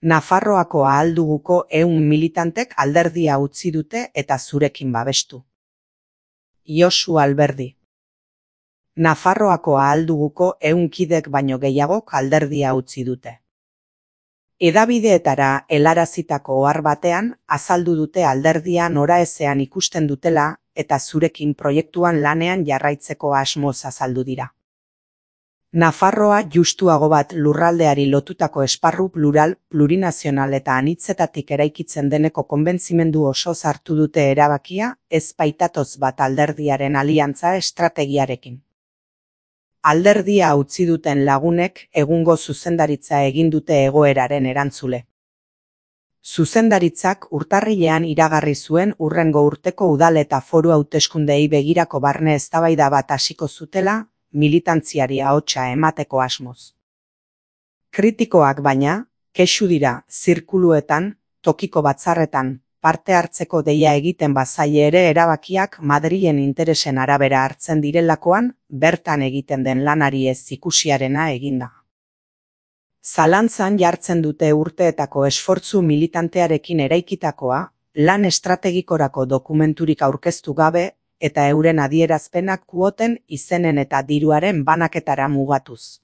Nafarroako Ahalduguko 100 militantek alderdia utzi dute eta zurekin babestu. Josu Alberdi. Nafarroako Ahalduguko 100 kidek baino gehiagok alderdia utzi dute. Hedabideetara helarazitako ohar batean azaldu dute alderdia noraezean ikusten dutela eta zurekin proiektuan lanean jarraitzeko asmoz azaldu dira. Nafarroa justuago bat lurraldeari lotutako esparru plural, plurinazional eta anitzetatik eraikitzen deneko konbentzimendu osoz hartu dute erabakia, ez baitatoz bat alderdiaren aliantza estrategiarekin. Alderdia utzi duten lagunek egungo zuzendaritza egin dute egoeraren erantzule. Zuzendaritzak urtarrilean iragarri zuen hurrengo urteko udal eta foru hauteskundeei begirako barne eztabaida bat hasiko zutela, militantziari ahotsa emateko asmoz. Kritikoak baina, kexu dira zirkuluetan, tokiko batzarretan, parte hartzeko deia egiten bazaie ere erabakiak Madrilen interesen arabera hartzen direlakoan, bertan egiten den lanari ez ikusiarena eginda. Zalantzan jartzen dute urteetako esfortzu militantearekin eraikitakoa, lan estrategikorako dokumenturik aurkeztu gabe, eta euren adierazpenak kuoten, izenen eta diruaren banaketara mugatuz.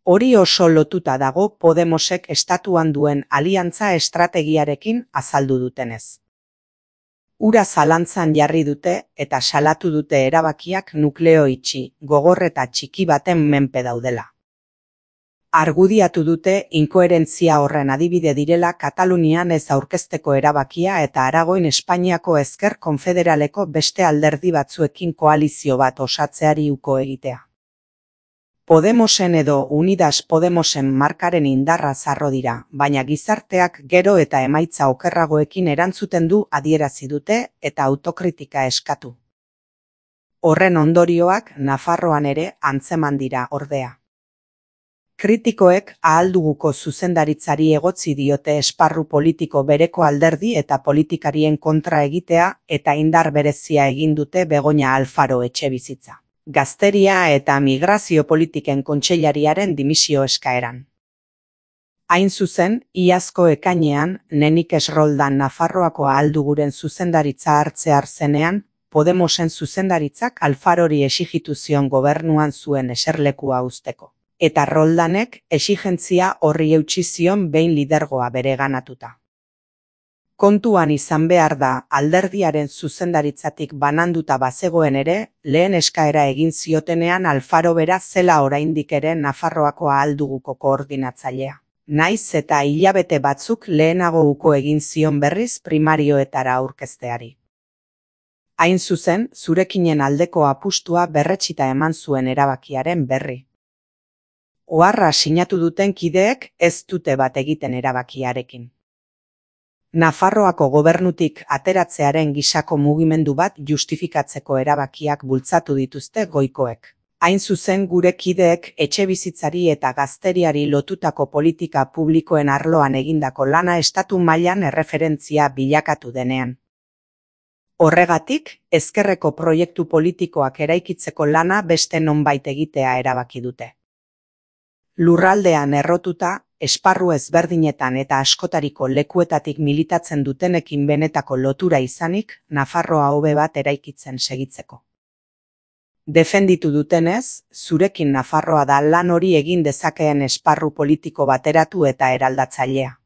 Hori oso lotuta dago Podemosek estatuan duen aliantza estrategiarekin azaldu dutenez. Ura zalantzan jarri dute eta salatu dute erabakiak nukleo itxi, gogor eta txiki baten menpe daudela. Argudiatu dute inkoherentzia horren adibide direla Katalunian ez aurkezteko erabakia eta Aragoin Espainiako Ezker Konfederaleko beste alderdi batzuekin koalizio bat osatzeari uko egitea. Podemosen edo Unidas Podemosen markaren indarra zarro dira, baina gizarteak gero eta emaitza okerragoekin erantzuten du adierazi dute eta autokritika eskatu. Horren ondorioak Nafarroan ere antzeman dira ordea. Kritikoek Ahalduguko zuzendaritzari egotzi diote esparru politiko bereko alderdi eta politikarien kontra egitea eta indar berezia egin dute Begoña Alfaro Etxebizitza, Gazteria eta Migrazio Politiken Kontseilariaren dimisio eskaeran. Hain zuzen, iazko ekainean, Nenikes Roldan Nafarroako Ahalduguren zuzendaritza hartzear zenean, Podemosen zuzendaritzak Alfarori exigitu zion gobernuan zuen eserlekua uzteko. Eta Roldanek exigentzia horri eutsi zion behin lidergoa bereganatuta. Kontuan izan behar da alderdiaren zuzendaritzatik bananduta bazegoen ere, lehen eskaera egin ziotenean Alfaro bera zela oraindik ere Nafarroako Ahalduguko koordinatzailea. Naiz eta hilabete batzuk lehenago uko egin zion berriz primarioetara aurkezteari. Hain zuzen, zurekinen aldeko apustua berretsita eman zuen erabakiaren berri. Oharra sinatu duten kideek ez dute bat egiten erabakiarekin. Nafarroako gobernutik ateratzearen gisako mugimendu bat justifikatzeko erabakiak bultzatu dituzte goikoek. Hain zuzen gure kideek etxebizitzari eta gazteriari lotutako politika publikoen arloan egindako lana estatu mailan erreferentzia bilakatu denean. Horregatik, ezkerreko proiektu politikoak eraikitzeko lana beste nonbait egitea erabaki dute. Lurraldean errotuta, esparru ezberdinetan eta askotariko lekuetatik militatzen dutenekin benetako lotura izanik, Nafarroa hobe bat eraikitzen segitzeko. Defenditu dutenez, zurekin Nafarroa da lan hori egin dezakeen esparru politiko bateratu eta eraldatzailea.